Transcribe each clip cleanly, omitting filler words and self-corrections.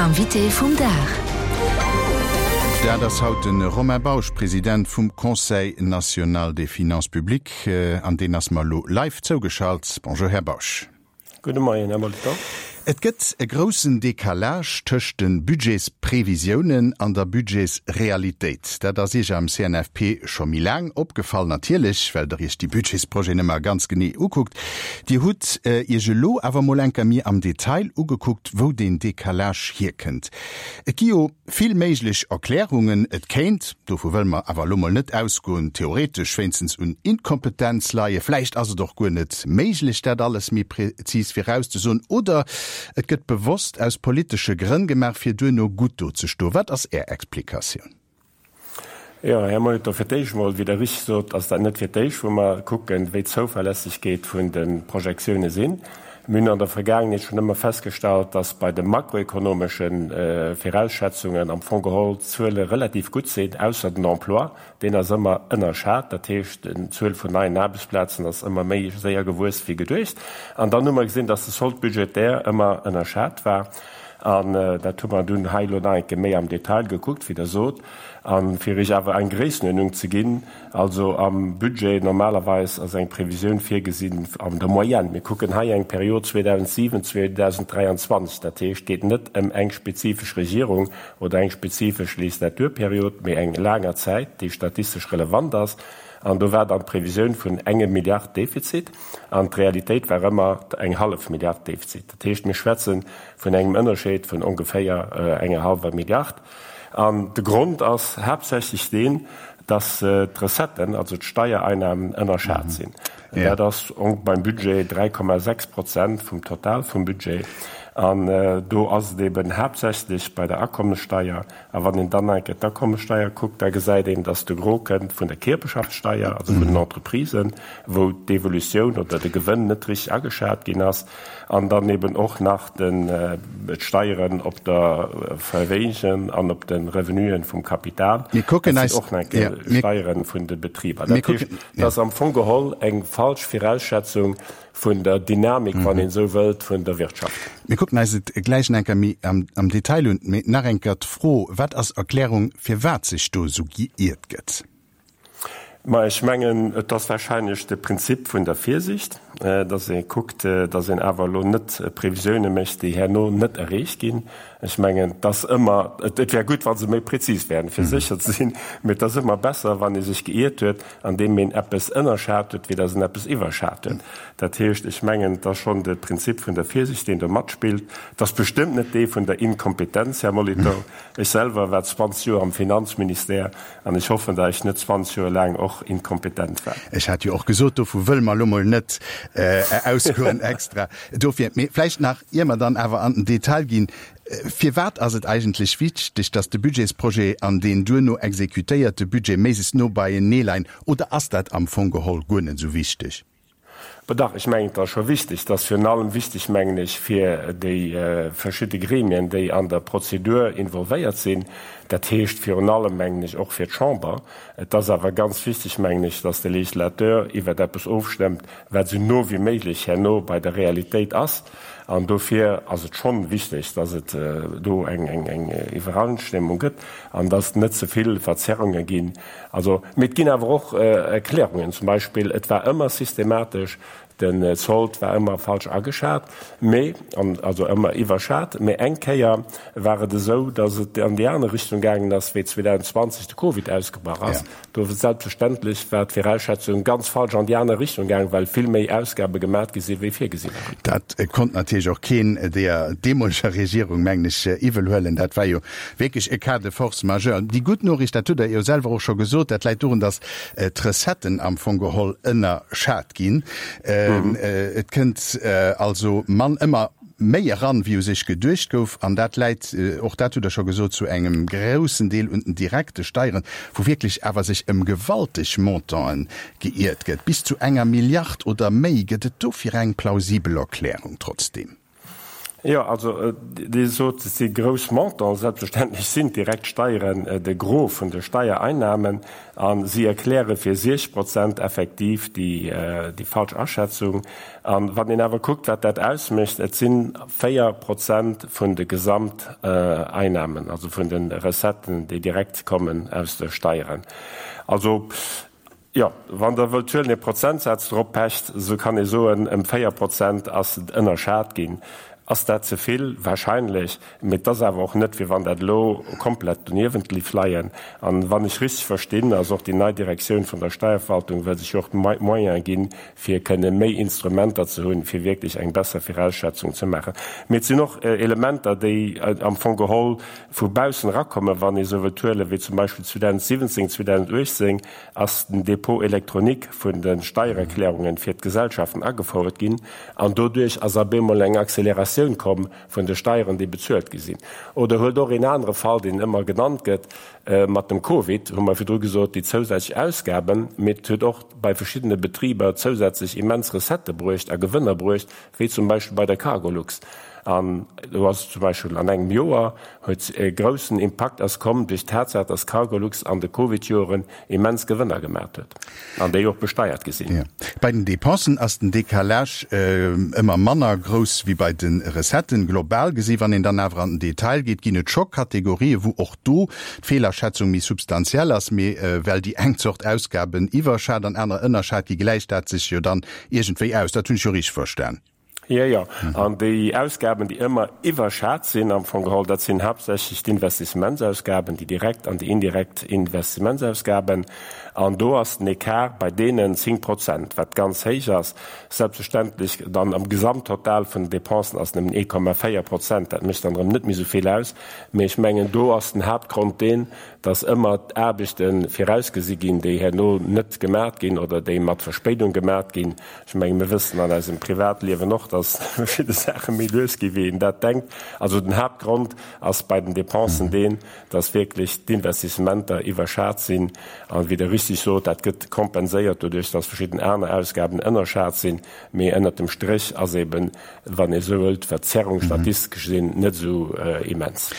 Invité vum Dag. Dat ass haut de Romain Bausch, President vum Conseil national des finances publiques, an deen ass mer elo live zougeschalt. Bonjour, Här Bausch. Gudde Moien, Här Molitor. Et gëtt e groussen Decalage tëscht de Budgetsprevisiounen an der Budgetsrealitéit. Dat ass Iech am CNFP scho méi laang opgefall, natierlech, well Der Iech déi Budgetsprojeten ëmmer ganz genee ukuckt. Dir hutt Iech elo awer mol enker méi am Detail ugekuckt, wou deen Decalage hierkënnt. Et gi jo vill méiglech Erklärungen. Et kéint, dovu wëlle mer awer elo mol net ausgoen, theoretesch wéinstens un Inkompetenz leien. Vläicht ass et och guer net méiglech, dat alles méi prezis virauszesoen. Oder et gëtt bewosst aus politesche Grënn gemaach, fir duerno gutt do ze stoen. Wat ass Är Explikatioun? Jo, Här Molitor, fir d'éischt emol, wéi Der richteg sot, ass dat net fir d'éischt, wou mer kucken, wéi d'Zouverlässegkeet vun de Projektioune sinn. Mir hunn an der Vergaangenheet schonn ëmmer festgestallt, dass bei de makroekonomesche Virausschätzungen am Fong geholl d'Zuele relativ gutt sinn, ausser den Emploi, deen ass ëmmer ënnerschat. Dat heescht, d'Zuel vun neien Aarbechtsplazen ass ëmmer méi séier gewuess wéi geduecht. An dann hu mer gesinn, dass de Solde budgétaire ëmmer ënnerschat war. An dat hu mer dunn hei elo nach eng Kéier méi am Detail gekuckt, wéi Der sot. A fir Iech awer eng Gréissenuerdnung ze ginn, also am Budget normalerweis ass eng Previsioun virgesinn an der Moyenne, mir kucken hei eng Period 2007, 2023, dat heescht, et geet net ëm eng spezifesch Regierung oder eng spezifesch Legislaturperiod, mee eng laanger Zäit, déi statistesch relevant ass. An do war dann d'Previsioun vun engem Milliard Defizit an d'Realitéit war ëmmer eng hallef Milliard Defizit. Dat heescht, mir schwätze vun engem Ënnerscheed vun ongeféier enger hallwer Milliard. An de Grond ass haaptsächlech deen, dass d'Recetten, also d'Steiereinnahmen, ënnerschat sinn. Dat ass beim Budget 3,6 Prozent vum Total vum Budget. An do ass et eben haaptsächlech bei der Akommessteier. A wann een dann nach eng Kéier d'Akommessteier kuckt, da gesäit een, dass de Gros kënnt vun der Kierperschaftssteier, also vun den Entreprisen, wou d'Evolutioun oder de Gewënn net richtig ageschat ginn ass. An dann eben och nach d'Steieren op der Verméigen an op de Revenuen vum Kapital. Dat sinn och nach eng Kéier Steiere vun de Betriber. Dat heescht, et ass am Fong geholl eng falsch Virausschätzung vun der Dynamik, wann een esou wëllt, vun der Wirtschaft. Mir kucken eis et gläich nach eng Kéier méi am Detail un. Mee nach eng Kéier d'Fro, Wat ass d'Erklärung, firwat sech do esou geiert gëtt? Ma ech mengen, et ass wahrscheinlech de Prinzip vun der Virsicht, dass ee kuckt, dass een awer elo net Previsioune mécht, déi herno net erreecht ginn. Ech mengen, et ass ëmmer, et wär gutt, wa se méi prezis wären, fir sécher ze sinn, mee et ass ëmmer besser, wann ee sech geiert huet, andeem een eppes ënnerschat huet, wéi dass een eppes iwwerschat huet. Dat heescht, ech mengen, et ass schonn de Prinzip vun der Virsicht, deen do matspillt. Et ass bestëmmt net dee vun der Inkompetenz, Här Molitor. Ech selwer war 20 Joer am Finanzministère An ech hoffen, datt ech net 20 Joer laang och inkompetent war. Ech hat jo och gesot, dovu wëlle mer elo mol net ausgoen extra dofir. Mee vläicht nach, ier mer dann awer an den Detail ginn, Firwat ass et eigentlech wichteg, datt de Budgetsprojet an deen duerno exekutéierte Budget méiglechst no beienee leien? Oder ass dat am Fong geholl guer net esou wichteg? Bon dach, ech mengen, et ass scho wichteg. Et ass virun allem wichteg, mengen ech, fir déi verschidde Gremien, déi an der Prozedur involvéiert sinn. Dat heescht virun allem, mengen ech, och fir d'Chamber. Et ass awer ganz wichteg, mengen ech, dass de Législateur iwwert eppes ofstëmmt, wat esou no wéi méiglech herno bei der Realitéit ass. An dofir ass et schonn wichteg, dass et do eng Iwwereinstëmmung gëtt an dass et net ze vill Verzerrunge ginn. Also, mee et ginn awer och Erklärungen. Zum Beispill, et war ëmmer systematesch, den Sold war ëmmer falsch ageschat, mee, also ëmmer iwwerschat, mee eng Kéier war et esou, datt et an déi aner Richtung gaangen ass, wéi 2020 de Covid ausgebrach ass. Do selbstverständlech war d'Virausschätzung ganz falsch an déi aner Richtung gaangen, well vill méi Ausgabe gemat gi sinn, wéi virgesi waren. Dat konnt natierlech och keen deeër deemoleger Regierung, mengen ech, iwwel huelen. Dat war jo Wierklech e Cas de force majeure. Déi gutt Noriicht, dat hutt Der jo selwer och scho gesot, dat läit dorun, datt d'Recetten am Fong geholl ënnerschat ginn. Et kënnt also mann, ëmmer méi eran, wéi u sech geduecht gouf. An dat läit, och dat hutt Der scho gesot, zu engem groussen Deel un den direkte Steieren, wou wierklech awer sech ëm gewalteg Montanten geiert gëtt, bis zu enger Milliard oder méi. Gëtt et dofir eng plausibel Erklärung trotzdeem? Jo, also Dir sot, et si grouss Montanten. Selbstverständlech sinn d'direkt Steieren de Gros vun de Steiereinnahmen a si erkläre fir 60 Prozent effektiv déi falsch Aschätzung. A wann een awer kuckt, wat dat ausmécht, et si 4 Prozent vun de Gesamteinnahmen, also vun de Recetten, déi direkt kommen aus de Steieren. Also Jo, wann Der wëllt huelen, ee Prozentsaz drop pecht, esou kann ee soen, ëm 4 Prozent ass et ënnerschat ginn. Ass dat ze vill? Wahrscheinlech. Mee et ass awer och net, wéi wann dat elo komplett doniewent géif leien. An wann ech richteg verstinn, ass och déi nei Direktioun vun der Steierverwaltung wëll sech jo och d'Moyene ginn, fir kënne méi Instrumenter ze hunn, fir wierklech eng besser Virausschätzung ze maachen. Mee et sinn och Elementer, déi am Fong geholl vu baussen erakommen, wann ee sou wëllt huelen, wéi zum Beispill 2017, 2018, ass den Dépôt électronique vun de Steiererklärungen fir d'Gesellschaften agefouert ginn an doduerch ass ab eemol eng Acceleratioun komm vun de Steieren, déi bezuelt gi sinn. Oder huelt och een anere Fall, deen ëmmer genannt gëtt, mat dem Covid hu mer virdru gesot, déi zousätzlech Ausgaben, mee et huet och bei verschiddene Betriber zousätzlech immens Recettë bruecht a Gewënner bruecht, wéi zum Beispill bei der Cargolux. An do ass zum Beispill an engem Joer huet e groussen Impakt ass komm duerch d'Tatsaach, dass Cargolux an de Covid-Joren immens Gewënner gemaacht huet an déi och besteiert gi sinn. Bei den Dépensen ass den Décalage ëmmer manner grouss wéi bei de Recetten. Global gesi, wann een dann awer an den Detail geet, ginn et scho Kategorien, wou och do d'Feelerschätzung méi substantiell ass. Mee well déi eng Zort Ausgaben iwwerschat an aner ënnerschat gi, gläicht dat sech jo dann iergendwéi aus. Dat hunn ech jo richteg verstan. Jo, jo. An déi Ausgaben, déi ëmmer iwwerschat sinn am Fong geholl, dat sinn haaptsächlech d'Investissementsausgaben, déi direkt an déi indirekt Investissementsausgaben. An do ass den Ecart bei deenen 10 Prozent, wat ganz héich ass. Selbstverständlech dann am Gesamttotal vun den Dépensen ass nëmmen 1,4 Prozent. Dat mécht dann erëm net méi esou vill aus. Mee ech mengen, do ass den Haaptgrond deen, dass ëmmer d'Aarbechte virausgesi ginn, déi herno net gemat ginn oder déi mat Verspéidung gemat ginn. Ech menge mir wëssen an eisem Privatliewen och, datt verschidde Saache méi lues ginn, wéi een dat denkt. Also den Haaptgrond ass bei den Dépensen deen, datt wierklech d'Investissementer iwwerschat sinn. A wéi Der richtig sot, dat gëtt kompenséiert doduerch, datt verschidden aner Ausgaben ënnerschat sinn. Mee ënnert dem Stréch ass eben, wann ee sou wëllt, d'Verzerrung statistesch gesinn net esou immens.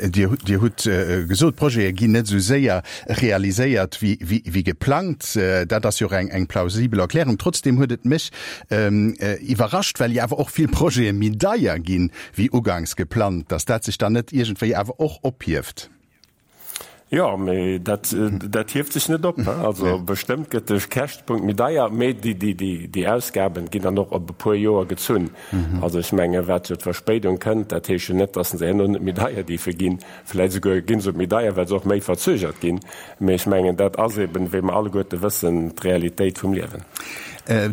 Dir hutt gesot, d'Projete ginn net esou séier realiséiert wéi geplangt. Dat ass jo och eng plausibel Erklärung. Trotzdeem huet et mech iwwerrascht, well jo awer och vill Projete méi deier ginn, wéi uganks geplangt, datt dat sech dann net iergendwéi awer och ophieft. Jo, mee dat, dat hieft sech net op. Also bestëmmt gëtt de Käschtepunkt méi deier, mee déi, déi, déi, déi Ausgaben ginn dann och op e puer Joer gezunn. Also ech menge wat jo d'Verspéidung kënnt, dat heescht jo net, datt se herno net méi deier dierfe ginn. Vläicht esouguer gi se méi deier, well se och méi verzögert ginn. Mee ech mengen, dat ass eben, wéi mer alleguerte wëssen, d'Realitéit vum Liewen.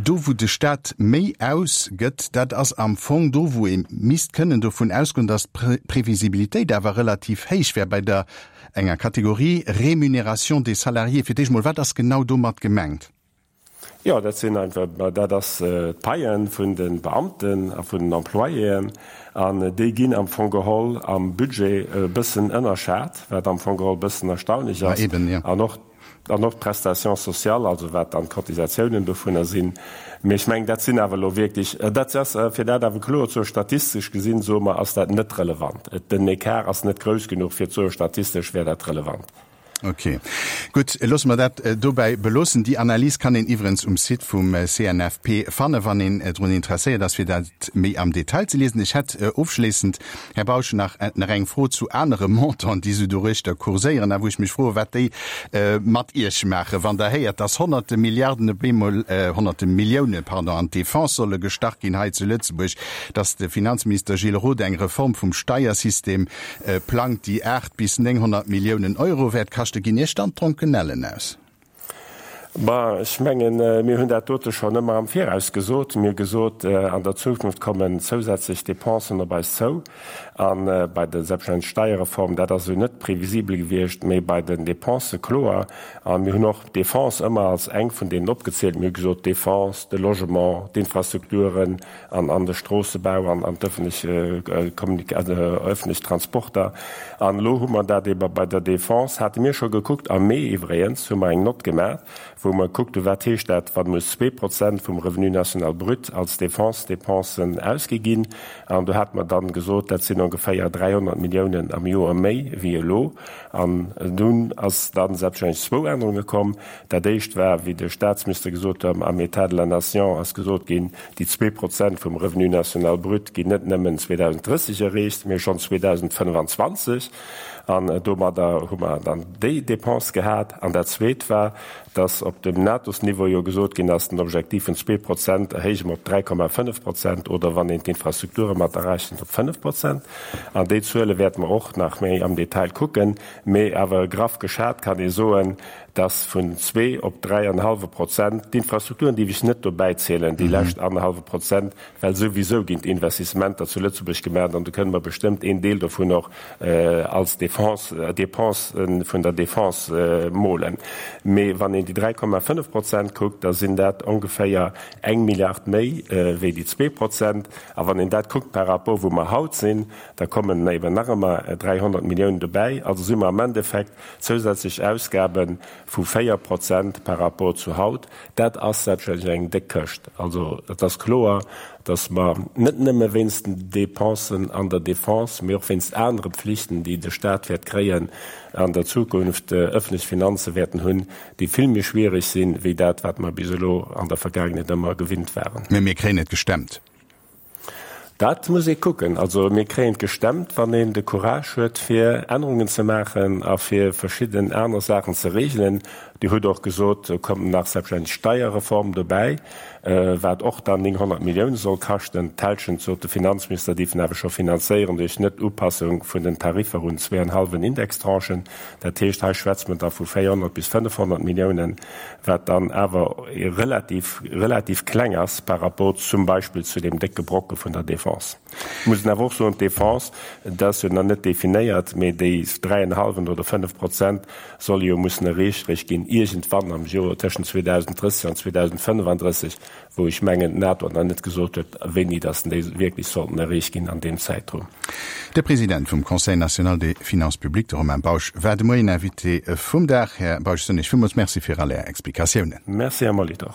Do wou de Staat méi ausgëtt, dat ass am Fong do wou ee misst kënnen dovun ausgoen, datt d'Previsibilitéit awer relativ héich wär bei der enger Kategorie Rémunération des salariés. Fir d'éischt mol, wat ass genau domat gemengt? Jo, dat sinn einfach, dat ass d'Paie vun de Beamten a vun den Employéen an déi ginn am Fong geholl am Budget e bëssen ënnerschat, wat am Fong geholl e bëssen erstaunlech ass. An och An och d'Prestations sociales, also wat dann d'Cotisatiounen dovunner sinn. Mee ech mengen, dat sinn awer elo wierklech, dat ass, fir dat awer kloer ze soen, statistesch gesinn, soe mer, ass dat net relevant. Den Ecart ass net grouss genuch, fir ze soen, statistesch wär dat relevant. Ok, gutt, loosse mer dat dobäi beloossen. Déi Analys kann een iwwerens um Site vum CNFP fannen, wann een drun interesséiert ass, fir dat méi am Detail ze liesen. Ech hätt ofschléissend Här Bausch, nach nach eng Fro zu anere Montanten, déi esou doruechter kurséieren a wou ech mech froen, wat déi mat Iech maachen, wann Der héiert, dass honnerte Milliarden op eemol, honnerte Milliounen, pardon, an d'Defense solle gestach ginn hei zu Lëtzebuerg, dass de Finanzminister Gilles Roth eng Reform vum Steiersystem plangt, déi 8 bis 900 Milliounen Euro wäert kaschten. Ginn Iech dann d'Dronkenellen aus? Bon, ech mengen, mir hunn dat dote schonn ëmmer am Viraus gesot. Mir hu gesot, an der Zukunft kommen zousätzlech Dépensen op eis zou. A bei der selbstverständlech Steierreform, dat ass esou net previsibel gewiescht, mee bei den Dépensë kloer. A mir hunn och d'Defense ëmmer als eng vun deenen opgezielt. Mir hu gesot, d'Defense, de Logement, d'Infrastrukturen an an de Stroossebau an an d'ëffentlech ëffentlech Transporter. An elo hu mer dat eebe bei der Defense, hate mir scho gekuckt, am Mee iwwregens hu mer eng Nott gemaach, wou. wou mer gekuckt hunn, wat heescht dat, wa muss 2% vum Revenu national brut als Défense-Dépensen ausgi ginn. An do hate mer dann gesot, dat sinn ongeféier 300 Milliounen am Joer méi wéi elo. An dunn ass dann selbstverständlech zwou Ännerunge komm. Dat éischt war, wéi de Statsminister gesot huet, am État de la Nation ass gesot ginn, déi 2% vum Revenu national brut ginn net nëmmen 2030 erreecht, mee schonn 2025. An domadder hu mer dann déi Dépense gehat. An dat Zweet war, dass op dem NATO-Niveau jo gesot ginn ass, den Objektiv vun 2% erhéije mer op 3,5% oder, wann een d'Infrastrukture mat errechent, op 5%. An déi Zuele wäerte mer och nach méi am Detail kucken. Mee awer graff geschat kann ee soen, dass vun zwee op dräi an e hallwe Prozent, d'Infrastrukturen déif ech net dobäi zielen, déi lescht annerhallwe Prozent, well souwisou ginn d'Investissementer zu Lëtzebuerg gemaach an do kënne mer bestëmmt een Deel dovun och als Défense, Dépense vun der Défense molen. Mee wann een déi 3,5 Prozent kuckt, da sinn dat ongeféier eng Milliard méi wéi déi 2%. A wann een dat kuckt par rapport wou mer haut sinn, da kommen eben nach ëmmer 300 Milliounen dobäi. Also si mer am Endeffekt zousätzlech Ausgabe vu 4% par rapport zu haut. Dat ass selbstverständlech eng déck Këscht. Also et ass kloer, datt mer net nëmme wéinst den Dépensen an der Défense, mee och wéinst anere Pflichten, déi de Stat wäert kréien an der Zukunft, öffentlech Finanze wäerten hunn, déi vill méi schwierig sinn, wéi dat, wat mer bis elo an der Vergaangenheet ëmmer gewinnt waren. Mee mir kréien et gestemmt. Dat muss ee kucken. Also mir kréien et gestemmt, wann een de Courage huet, fir Ännerungen ze maachen a fir verschidden aner Saachen ze regelen. Dir hutt och gesot, do kommt nach selbstverständlech d'Steierreform dobäi, wat och dann 900 Milliounen soll kaschten. D'Hälschent, sot de Finanzminister, dierfen awer scho finanzéieren duerch Net-Upassung vun den Tariffer un zweeanhallwen Indextranchen. Dat heescht, hei schwätze mer da vu 400 bis 500 Milliounen, wat dann awer relativ, relativ kleng ass par rapport zum Beispill zu deem décke Brocke vun der Défense. Ech muss awer och soen, d'Défense, dat ass jo nach net definéiert, mee déi dräienhallwen oder 5% solle jo mussen erreecht réischt ginn iergendwann am Joer tëschent 2030 an 2035. wou ech mengen d'NATO nach net gesot huet, wéini datt déi wierklech sollten erreecht ginn an deem Zäitraum. De President vum Conseil national des finances publiques, de Romain Bausch, war de Moien Invité vum Dag. Här Bausch, soen Iech villmools Merci fir all Är Explikatiounen. Merci, Här Molitor.